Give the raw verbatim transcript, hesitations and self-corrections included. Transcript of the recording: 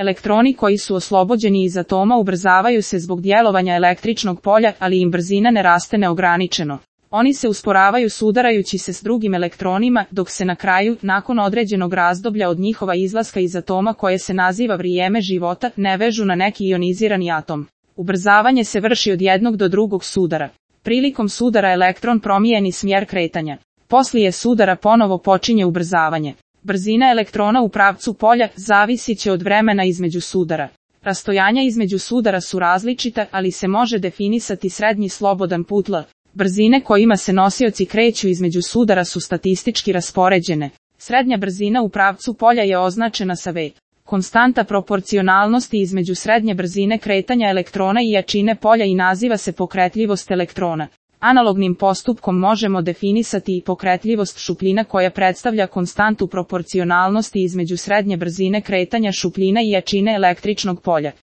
Elektroni koji su oslobođeni iz atoma ubrzavaju se zbog djelovanja električnog polja, ali im brzina ne raste neograničeno. Oni se usporavaju sudarajući se s drugim elektronima, dok se na kraju, nakon određenog razdoblja od njihova izlaska iz atoma koje se naziva vrijeme života, ne vežu na neki ionizirani atom. Ubrzavanje se vrši od jednog do drugog sudara. Prilikom sudara elektron promijeni smjer kretanja. Poslije sudara ponovo počinje ubrzavanje. Brzina elektrona u pravcu polja zavisit će od vremena između sudara. Rastojanja između sudara su različita, ali se može definisati srednji slobodan put L. Brzine kojima se nosioci kreću između sudara su statistički raspoređene. Srednja brzina u pravcu polja je označena sa V. Konstanta proporcionalnosti između srednje brzine kretanja elektrona i jačine polja i naziva se pokretljivost elektrona. Analognim postupkom možemo definisati i pokretljivost šupljina koja predstavlja konstantu proporcionalnosti između srednje brzine kretanja šupljina i jačine električnog polja.